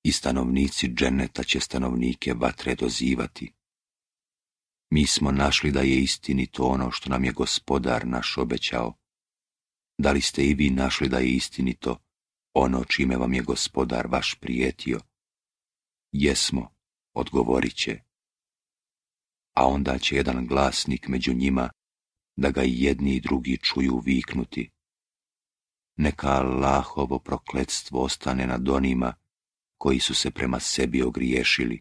i stanovnici dženeta će stanovnike vatre dozivati. Mi smo našli da je istinito ono što nam je Gospodar naš obećao. Da li ste i vi našli da je istinito ono čime vam je Gospodar vaš prijetio? Jesmo, odgovorit će. A onda će jedan glasnik među njima, da ga i jedni i drugi čuju, viknuti: neka Allahovo prokletstvo ostane nad onima koji su se prema sebi ogriješili.